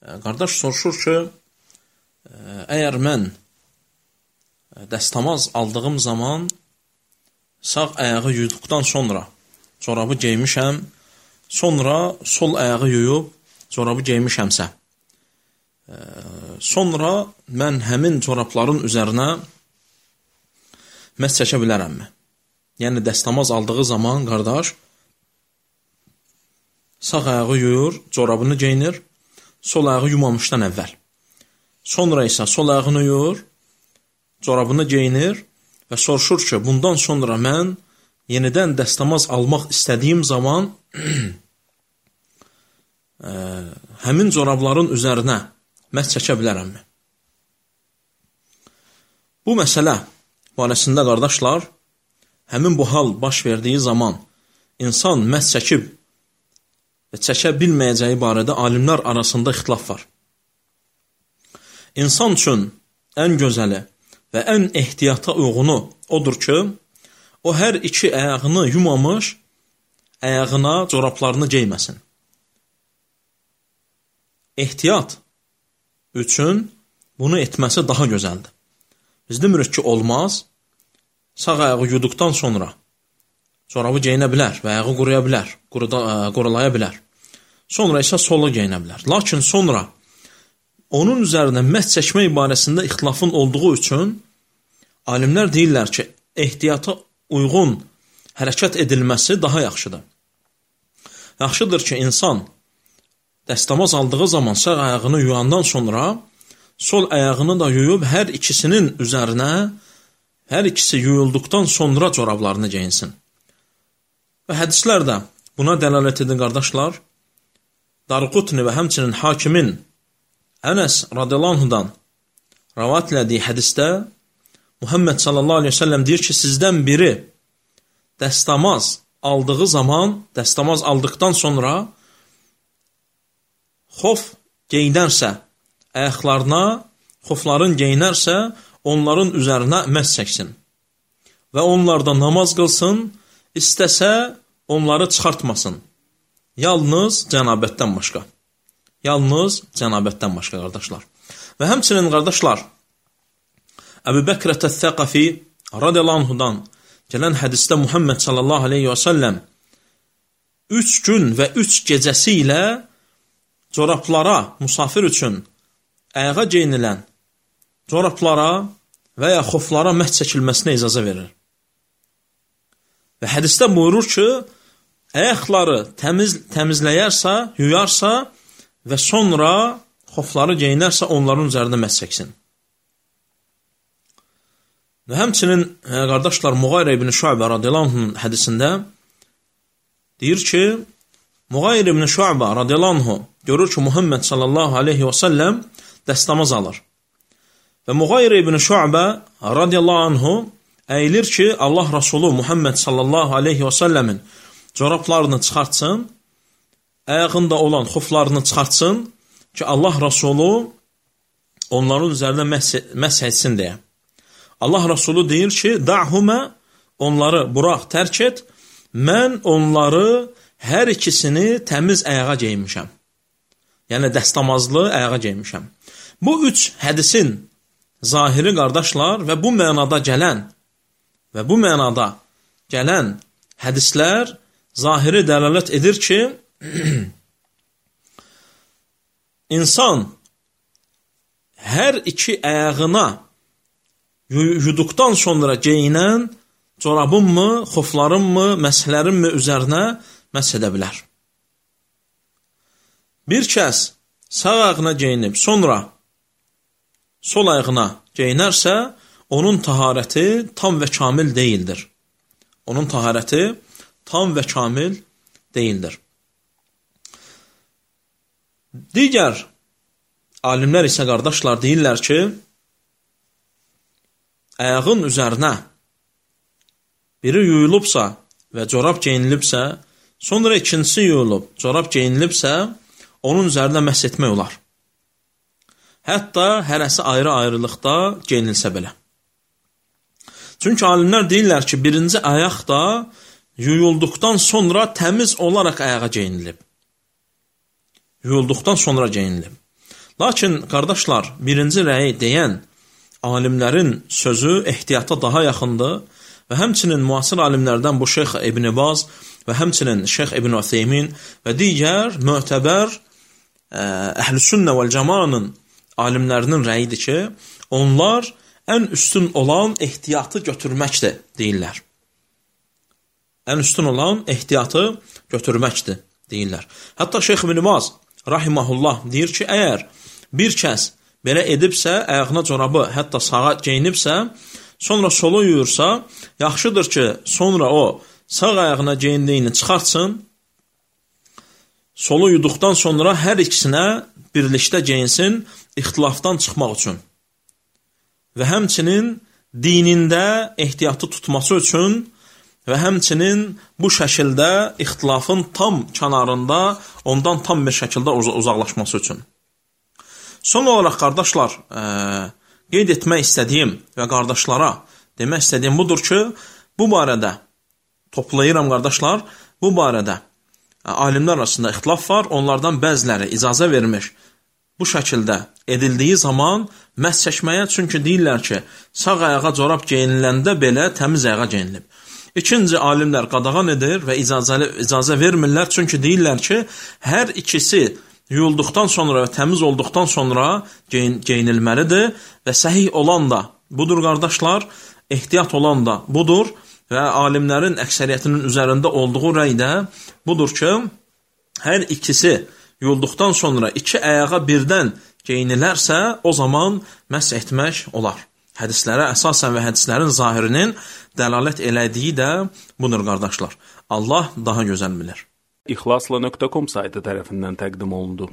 Qardaş soruşur ki, əgər mən dəstəmaz aldığım zaman sağ ayağı yuyduqdan sonra corabı geymişəm, sonra sol ayağı yuyub corabı geymişəmsə, sonra mən həmin corabların üzərinə məs çəkə bilərəmmi? Yəni, dəstəmaz aldığı zaman qardaş sağ ayağı yuyur, corabını geyinir, sol ayağı yumamışdan əvvəl. Sonra isə sol ayağını yuyur, corabını geyinir və soruşur ki, bundan sonra mən yenidən dəstəmaz almaq istədiyim zaman həmin corabların üzərinə məs çəkə bilərəmmi? Bu məsələ barəsində qardaşlar, həmin bu hal baş verdiyi zaman insan məs çəkib və çəkə bilməyəcəyi barədə alimlər arasında ixtilaf var. İnsan üçün ən gözəli və ən ehtiyata uyğunu odur ki, o hər iki ayağını yumamış, ayağına corablarını geyməsin. Ehtiyat üçün bunu etməsi daha gözəldir. Biz demirik ki, olmaz, sağ ayağı yuduqdan sonra corabı geyinə bilər və ayağı quruya bilər, qurulaya bilər. Sonra isə solu geyinə bilər. Lakin sonra onun üzərinə məs çəkmək barəsində ixtilafın olduğu üçün alimlər deyirlər ki, ehtiyata uyğun hərəkət edilməsi daha yaxşıdır. Yaxşıdır ki, insan dəstəmaz aldığı zaman sağ ayağını yuyandan sonra sol ayağını da yuyub hər ikisinin üzərinə, hər ikisi yuyulduqdan sonra corablarını geyinsin. Və hədislər də buna dəlalət edir qardaşlar. Darqutni və həmçinin hakimin Ənəs radiyallahu anhudan rəvat elədiyi hədisdə Muhammed sallallahu aleyhi ve sellem deyir ki, sizdən biri dəstəmaz aldığı zaman, dəstəmaz aldıqdan sonra xof geyinərsə, ayaqlarına xofların geyinərsə, onların üzərinə məs çəksin və onlarda namaz qılsın, istəsə onları çıxartmasın. Yalnız cənabətdən başqa. Yalnız cənabətdən başqa, qardaşlar. Və həmçinin, qardaşlar, Əbu Bəkrət Əth-Thəqəfi radiyallahu anhudan gələn hədisdə Muhammed sallallahu aleyhi və səlləm 3 gün və 3 gecəsi ilə corablara, musafir üçün ayağa geyinilən corablara və ya xoflara məs çəkilməsinə icazə verir. Və hədisdə buyurur ki, ayaqları təmizləyərsə, yuyarsa və sonra xofları geyinərsə, onların üzərində məs çəksin. Və həmçinin, qardaşlar, Muğayrə ibn Şu'bə radiyallahu anh'ın hədisində deyir ki, Muğayrə ibn Şu'bə radiyallahu anh'ı görür ki, Muhammed sallallahu aleyhi və səlləm dəstəmaz alır. Və Muğayrə ibn Şu'bə radiyallahu anh'ı əyilir ki, Allah Rasulü Muhammed sallallahu aleyhi və səlləmin corablarını çıxartsın, ayağında olan xoflarını çıxartsın ki, Allah Rasulü onların üzərində məs etsin deyə. Allah Rasulü deyir ki, da'humə, onları burax, tərk et, mən onları hər ikisini təmiz ayağa geymişəm. Yəni, dəstəmazlı ayağa geymişəm. Bu 3 hədisin zahiri, qardaşlar, və bu mənada gələn hədislər zahiri dəlalət edir ki, insan hər iki ayağına yuduqdan sonra geyinən corabınmı, xoflarınmı, məsələrinmi üzərinə məs edə bilər. Bir kəs sağ ayağına geyinib, sonra sol ayağına geyinərsə, onun taharəti tam və kamil deyildir. Onun taharəti tam və kamil deyildir. Digər alimlər isə, qardaşlar, deyirlər ki, ayağın üzərinə biri yuyulubsa və corab geyinilibsə, sonra ikincisi yuyulub, corab geyinilibsə, onun üzərinə məs etmək olar. Hətta hərəsi ayrı-ayrılıqda geyinilsə belə. Çünki alimlər deyirlər ki, birinci ayaq da yuyulduqdan sonra təmiz olaraq ayağa geyinilib. Yuyulduqdan sonra geyinilib. Lakin, qardaşlar, birinci rəyi deyən alimlərin sözü ehtiyata daha yaxındır və həmçinin müasir alimlərdən bu Şeyx İbn Baz və həmçinin Şeyx İbn Ütheymin və digər mötəbər Əhl-i-Sünnə vəl-Cəmanın alimlərinin rəyidir ki, onlar ən üstün olan ehtiyatı götürməkdir, deyirlər. Ən üstün olan ehtiyatı götürməkdir, deyirlər. Hətta Şeyx İbn Baz rahiməhullah deyir ki, əgər bir kəs belə edibsə, ayağına corabı hətta sağa geyinibsə, sonra solu yuyursa, yaxşıdır ki, sonra o sağ ayağına geyindiyini çıxartsın, solu yuduqdan sonra hər ikisinə birlikdə geyinsin, ixtilafdan çıxmaq üçün. Və həmçinin dinində ehtiyatı tutması üçün və həmçinin bu şəkildə ixtilafın tam kənarında ondan tam bir şəkildə uzaqlaşması üçün. Son olaraq, qardaşlar, qeyd etmək istədiyim və qardaşlara demək istədiyim budur ki, bu barədə, toplayıram qardaşlar, bu barədə alimlər arasında ixtilaf var, onlardan bəziləri icazə vermiş bu şəkildə edildiyi zaman məhz çəkməyə, çünki deyirlər ki, sağ ayağa corab geyiniləndə belə təmiz ayağa geyinilib. İkinci, alimlər qadağan edir və icazə vermirlər, çünki deyirlər ki, hər ikisi yuyulduqdan sonra və təmiz olduqdan sonra geyinilməlidir və səhih olan da budur, qardaşlar, ehtiyat olan da budur və alimlərin əksəriyyətinin üzərində olduğu rəy də budur ki, hər ikisi yuyulduqdan sonra iki ayağa birdən geyinilərsə, o zaman məhz etmək olar. Hədislərə əsasən və hədislərin zahirinin dəlalət elədiyi də budur, qardaşlar. Allah daha gözəl bilir. İxlasla.com saytı tərəfindən təqdim olundu.